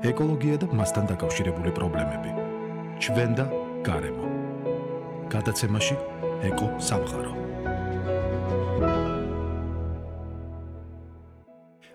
ეკოლოგია და მასთან დაკავშირებული პრობლემები. ჩვენ და გარემო. გადაცემაში ეკო სამყარო.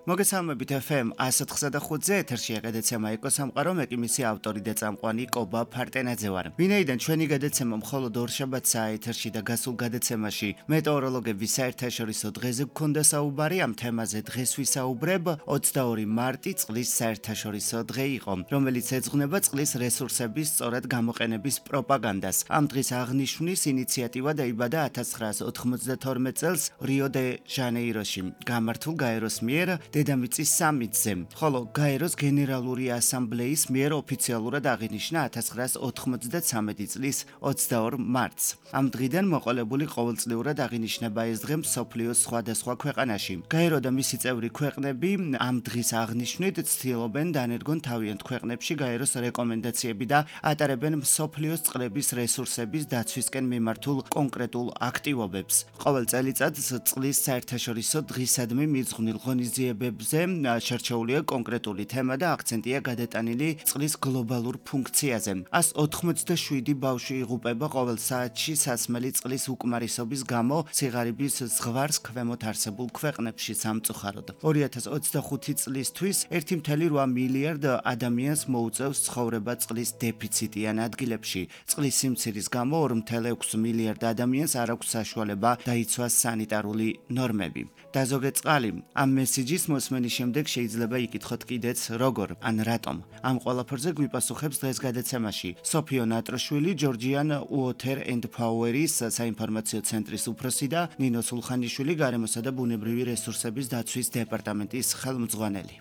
მოგესალმებით FM 104.5-ზე ეთერშია გადაცემა ეკო სამყარო, მე კი მისი ავტორი და წამყვანი კობა ფარტენაძე ვარ. ვინაიდან ჩვენი გადაცემა მხოლოდ ორშაბათსაა ეთერში და გასულ გადაცემაში მეტეოროლოგების საერთაშორისო დღეზე გქონდა საუბარი, ამ თემაზე დღეს ვისაუბრებ. 22 მარტი წლის საერთაშორისო დღე იყო, რომელიც ეძღვნება წყლის რესურსების სწორად გამოყენების პროპაგანდას. ამ დღის აღნიშვნის ინიციატივა დაიბადა 1992 წელს რიო-დე-ჟანეიროში გამართულ გაეროს მიერ დედამიწის სამიტზე, ხოლო გაეროს გენერალური ასამბლეის მიერ ოფიციალურად აღინიშნა 1993 წლის 22 მარტს. ამ დღიდან მოყოლებული ყოველწლიურად აღინიშნება ეს დღე მსოფლიოს სხვადასხვა ქვეყანაში. გაერო და მისი წევრი ქვეყნები ამ დღის აღნიშვნით ცდილობენ დანერგონ თავიანთ ქვეყნებში გაეროს რეკომენდაციები და ატარებენ მსოფლიოს წყლების რესურსების დაცვისკენ მიმართულ კონკრეტულ აქტივობებს. ყოველ წელიწადს წყლის საერთაშორისო დღისადმი მიძღვნილ ღონისძიებებზე შერჩეულია კონკრეტული თემა და აქცენტია გადატანილი წყლის გლობალურ ფუნქციაზე. 187 ბავშვი იღუპება ყოველ საათში სასმელი წყლის უკმარისობის გამო სიღარიბის ზღვარს ქვემოთ არსებულ ქვეყნებში სამწუხაროდ. 2025 წლისთვის 1.8 მილიარდ ადამიანს მოუწევს ცხოვრება წყლის დეფიციტიან ადგილებში. წყლის სიმცირის გამო 2.6 მილიარდ ადამიანს არ აქვს საშუალება დაიცვას სანიტარული ნორმები. დაზოგე წყალი. ამ მესიჯის მოსმენის შემდეგ შეიძლება იკითხოთ კიდეც როგორ, ან რატომ. ამ ყველაფერზე გვიპასუხებს დღეს გადაცემაში სოფიო ნატროშვილი, ჯორჯიან უოთერ ენდ პაუერის საინფორმაციო ცენტრის უფროსი და ნინო სულხანიშვილი, გარემოსა და ბუნებრივი რესურსების დაცვის დეპარტამენტის ხელმძღვანელი.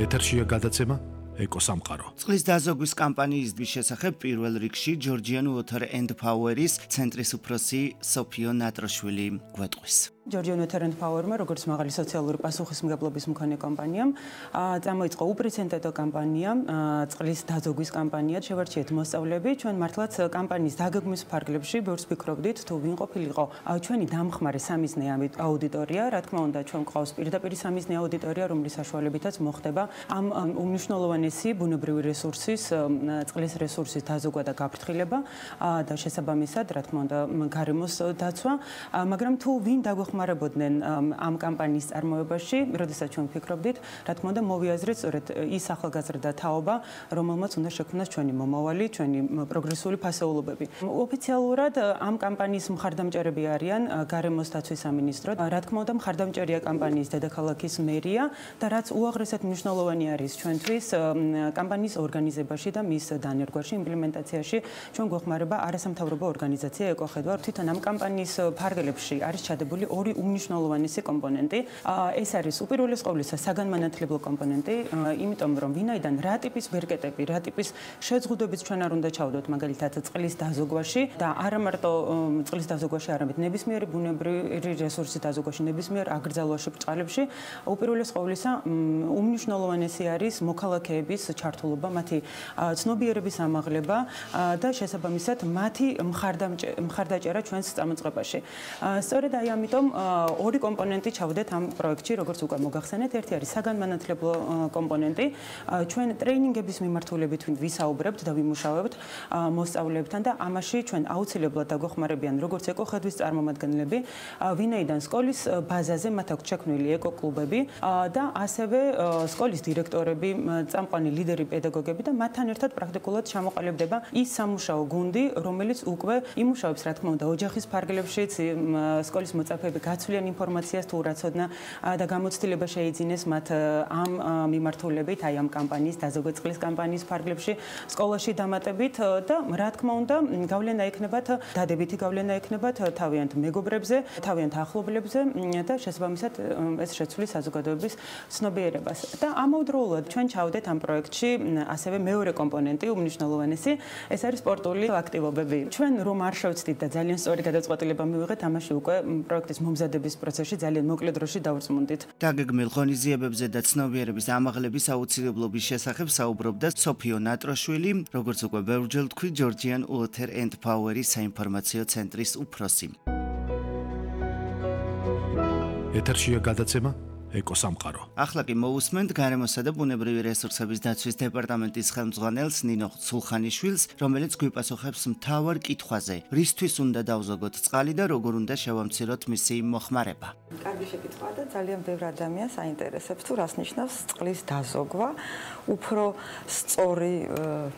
ეთერშია გადაცემა ეკო სამყარო. წყლის დაზოგვის კამპანიის შესახებ პირველ რიგში ჯორჯიან უოთერ ენდ პაუერის ცენტრის უფროსი სოფიო ნატროშვილი გვეტყვის. ჯორჯიან უოთერ ენდ პაუერმა, როგორც მაღალი სოციალური პასუხისმგებლობის მქონე კომპანიამ, წამოიწყო უპრეცედენტო კამპანია, წყლის დაზოგვის კამპანია. შევარჩიეთ მოსწავლეები, ჩვენ მართლაც კამპანიის დაგეგმვის ფარგლებში ბევრს ვფიქრობდით, თუ ვინ ყოფილიყო ჩვენი დამხმარე სამიზნე აუდიტორია. რა თქმა უნდა, ჩვენ გვყავს პირდაპირ სამიზნე აუდიტორია, რომლის საშუალებითაც მოხდება ამ უმნიშვნელოვანესი ბუნებრივი რესურსის, წყლის რესურსის დაზოგვა და გაფრთხილება და შესაბამისად, რა თქმა უნდა, გარემოს დაცვა, მაგრამ თუ ვინ დაგვეხმარებოდნენ ამ კამპანიის წარმოებაში, როდესაც ჩვენ ვფიქრობდით, რა თქმა უნდა, მოვიაზრეთ სწორედ ის ახალგაზრდა თაობა, რომელმაც უნდა შექმნას ჩვენი მომავალი, ჩვენი პროგრესული ფასეულობები. ოფიციალურად ამ კამპანიის მხარდამჭერები არიან გარემოს დაცვის სამინისტრო. რა თქმა უნდა, მხარდამჭერია კამპანიის დედაქალაქის მერია და რაც უაღრესად მნიშვნელოვანი არის ჩვენთვის კამპანიის ორგანიზებაში და მის დანერგვაში, იმპლემენტაციაში ჩვენ გვეხმარება არასამთავრობო ორგანიზაცია ეკოხედვა. თვითონ ამ კამპანიის ფარგლებში არის ჩადებული ორი უმნიშვნელოვანესი კომპონენტი. ეს არის უპირველეს ყოვლისა საგანმანათლებლო კომპონენტი, იმიტომ რომ ვინაიდან რა ტიპის ბერკეტები, რა ტიპის შეზღუდვებიც ჩვენ არ უნდა ჩავდოთ, მაგალითად წყლის დაზოგვაში და არა მარტო წყლის დაზოგვაში, არამედ ნებისმიერი ბუნებრივი რესურსის დაზოგვაში, ნებისმიერ აკრძალვაში, ბრწყალებში, უპირველეს ყოვლისა უმნიშვნელოვანესი არის მოქალაქეების ჩართულობა, მათი ცნობიერების ამაღლება და შესაბამისად მათი მხარდაჭერა ჩვენს წამოწყებაში. სწორედ აი ამიტომ ორი კომპონენტი ჩავდეთ ამ პროექტში, როგორც უკვე მოგახსენეთ. ერთი არის საგანმანათლებლო კომპონენტი. ჩვენ ტრეინინგების მიმართულებით ვისაუბრებთ და ვიმუშავებთ მოსწავლეებთან და ამაში ჩვენ აუცილებლად დაგვეხმარებიან როგორც ეკოხედვის წარმომადგენლები, ვინაიდან სკოლის ბაზაზე მათ აქვს შექმნილი ეკოკლუბები და ასევე სკოლის დირექტორები, წამყვანი ლიდერი პედაგოგები და მათთან ერთად პრაქტიკულად ჩამოყალიბდება ის სამუშაო გუნდი, რომელიც უკვე იმუშავებს, რა თქმა უნდა, ოჯახის ფარგლებშიც, სკოლის მოწაფეები გაცვლიან ინფორმაციას თუ რაცოდნა და გამოცდილება შეიძინეს მათ ამ მიმართულებით, აი ამ კამპანიის, დაზოგვე წყლის კამპანიის ფარგლებში, სკოლაში დამატებით და რა თქმა უნდა, გავლენა ექნებათ, დადებითი გავლენა ექნებათ თავიანთ მეგობრებზე, თავიანთ ახლობლებზე და შესაბამისად ეს შეცვლის საზოგადოების ცნობიერებას. და ამავდროულად ჩვენ ჩავდეთ ამ პროექტში ასევე მეორე კომპონენტი, უმნიშვნელოვანესი, ეს არის სპორტული აქტივობები. ჩვენ რომ არ შევცდით და ძალიან სწორი გადაწყვეტილება მივიღეთ, ამაში უკვე პროექტის მომზადების პროცესში ძალიან მოკლე დროში დავწმუნდით. დაგეგმილ ღონისძიებებზე და ცნობიერების ამაღლების აუცილებლობის შესახებ საუბრობდა სოფიო ნატროშვილი, როგორც უკვე ბევრჯერ თქვი, ჯორჯიან უოთერ ენდ პაუერის საინფორმაციო ცენტრის უფროსი. ეთერშია გადაცემა ეკოსამყარო. ახლა კი მოусმენთ გარემოსა და ბუნებრივი რესურსების დაცვის დეპარტამენტის ხელმძღვანელს ნინო სულხანიშვილს, რომელიც გვიპასუხებს მთავარ კითხვაზე: რისთვის უნდა დავზოგოთ წყალი და როგორ უნდა შევამციროთ მისი მოხმარება? კარგი შეკითხვაა და ძალიან ბევრ ადამიანს აინტერესებს თუ რას ნიშნავს წყლის დაზოგვა. უფრო სწორი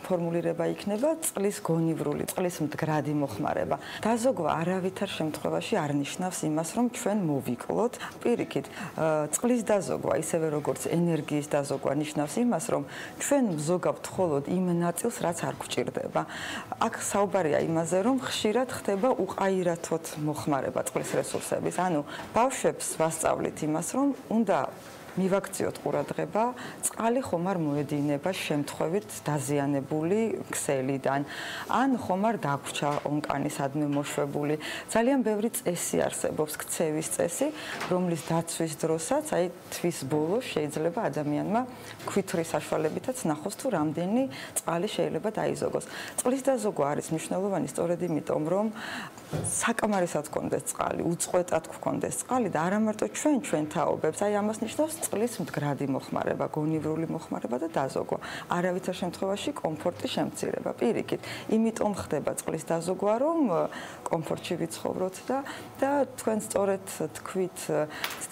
ფორმულირება იქნება წყლის გონივრული, წყლის მდგრადი მოხმარება. დაზოგვა არავითარ შემთხვევაში არ ნიშნავს იმას, რომ ჩვენ მოვიკლოთ. პირიქით, წყლის დაზოგვა, ისევე როგორც ენერგიის დაზოგვა ნიშნავს იმას, რომ ჩვენ ვზოგავთ მხოლოდ იმ ნაწილს, რაც არ გვჭირდება. აქ საუბარია იმაზე, რომ ხშირად ხდება უყაირათოდ მოხმარება წყლის რესურსების. ანუ ბავშვებს ვასწავლით იმას, რომ უნდა მივაქციოთ ყურადღება, წყალი ხომ არ მოედინება შემთხვევით დაზიანებული ქსელიდან, ან ხომ არ დაგვრჩა ონკანისადმი მოშვებული. ძალიან ბევრი წესი არსებობს, ქცევის წესი, რომლის დაცვის დროსაც, აი თვის ბოლოს შეიძლება ადამიანმა ქვითვრის საშუალებითაც ნახოს თუ რამდენი წყალი შეიძლება დაიზოგოს. წყლის დაზოგვა არის მნიშვნელოვანი სწორედ იმიტომ, რომ საკამარისად გქონდეს წყალი, უწყვეტად გქონდეს წყალი და არა მარტო ჩვენ თაობებს, აი ამას ნიშნავს წყლის მდგრადი მოხმარება, გონივრული მოხმარება და დაზოგვა. არავითარ შემთხვევაში კომფორტის შემცირება. პირიქით, იმიტომ ხდება წყლის დაზოგვა, რომ კომფორტში ვიცხოვროთ და თქვენ სწორედ თქვით,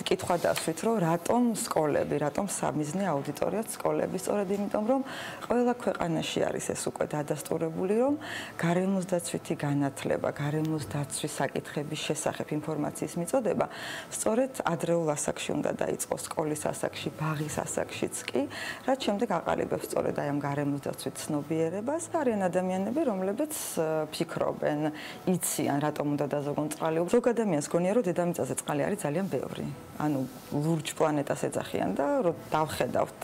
კითხვა დასვით, რომ რატომ სკოლები, რატომ სამიზნე აუდიტორიაც სკოლები, სწორედ იმიტომ, რომ ყველა ქვეყანაში არის ეს უკვე დადასტურებული, რომ გარემოს დაცვითი განათლება, გარემოს დაცვის საკითხების შესახებ ინფორმაციის მიწოდება სწორედ ადრეულ ასაკში უნდა დაიწყოს, სკოლის ასაკში, ბაღის ასაკშიც კი, რაც შემდეგ აყალიბებს სწორედ აი ამ გარემოს დაცვით ცნობიერებას. არიან ადამიანები, რომლებიც ფიქრობენ, იციან, რატომ უნდა დაზოგონ წყალი. ზოგ ადამიანს გონია, რომ დედამიწაზე წყალი არის ძალიან ბევრი. ანუ ლურჯ პლანეტას ეძახიან და რომ დავხედავთ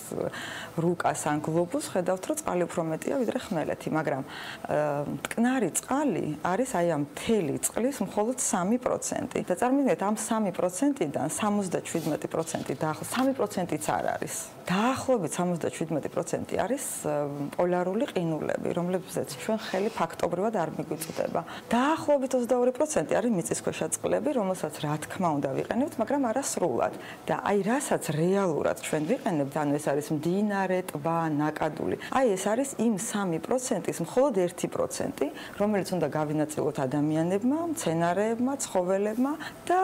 რუკას ან გლობუსს, ხედავთ, რომ წყალი უფრო მეტია ვიდრე ხმელეთი, მაგრამ მტკნარი წყალი არის აი ამ მთელი წყლის მხოლოდ 3%. და წარმოიდგინეთ, ამ 3%-დან 77% დაახლოებით 3%-იც არ არის. დაახლოებით 77% არის პოლარული ყინულები, რომლებზეც ჩვენ ხელი ფაქტობრივად არ მიგვიწვდება. დაახლოებით 22% არის მიწისქვეშა წყლები, რომელსაც რა თქმა უნდა ვიყენებთ, მაგრამ არა სრულად. და აი რასაც რეალურად ჩვენ ვიყენებთ, ანუ ეს არის მდინარე, ტბა, ნაკადული. აი ეს არის იმ 3%-ის მხოლოდ 1%, რომელიც უნდა გავინაწილოთ ადამიანებმა, მცენარეებმა, ცხოველებმა და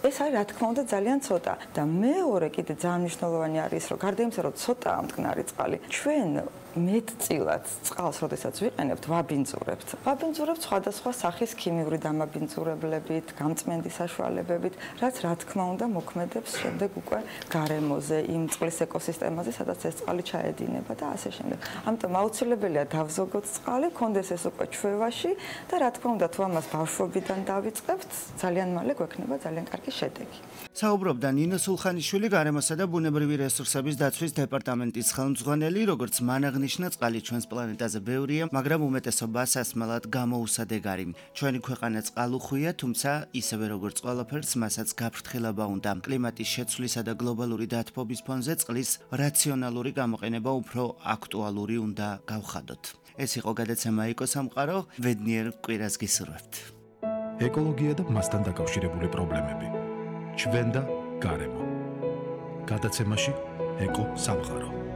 ეს არის რა თქმა უნდა ძალიან ცოტა. და მეორე კიდე ძალიან მნიშვნელოვანი არის, რომ გარდა იმისა, რომ ცოტაა მტკნარი წყალი, ჩვენ მეტწილად წყალს, როდესაც ვიყენებთ, ვაბინძურებთ. ვაბინძურებთ სხვადასხვა სახის ქიმიური დამაბინძურებლებით, გამწმენდი საშუალებებით, რაც რა თქმა უნდა მოქმედებს შემდეგ უკვე გარემოზე, იმ წყლის ეკოსისტემაზე, სადაც ეს წყალი ჩაედინება და ასე შემდეგ. ამიტომ აუცილებელია დავზოგოთ წყალი, გქონდეს ეს უკვე ჩვევაში და რა თქმა უნდა, თუ ამას ბავშვობიდან დავიწყებთ, ძალიან მალე გვექნება ძალიან კარგი შედეგი. საუბრობდა ნინო სულხანიშვილი, გარემოსა და ბუნებრივი რესურსების დაცვის დეპარტამენტის ხელმძღვანელი, როგორც მან აღნიშნა, წყალი ჩვენს პლანეტაზე ბევრია, მაგრამ უმეტესობა სასმელად გამოუსადეგარი. ჩვენი ქვეყანა წყალუხვია, თუმცა ისევე როგორც ყველაფერს, მასაც გაფრთხილება უნდა. კლიმატის შეცვლისა და გლობალური დათბობის ფონზე წყლის რაციონალური გამოყენება უფრო აქტუალური უნდა გავხადოთ. ეს იყო გადაცემა ეკოსამყარო, ბედნიერ კვირას გისურვებთ. ეკოლოგია და მასთან დაკავშირებული პრობლემები. ჩვენ და გარემო. გადაცემაში ეკო სამყარო.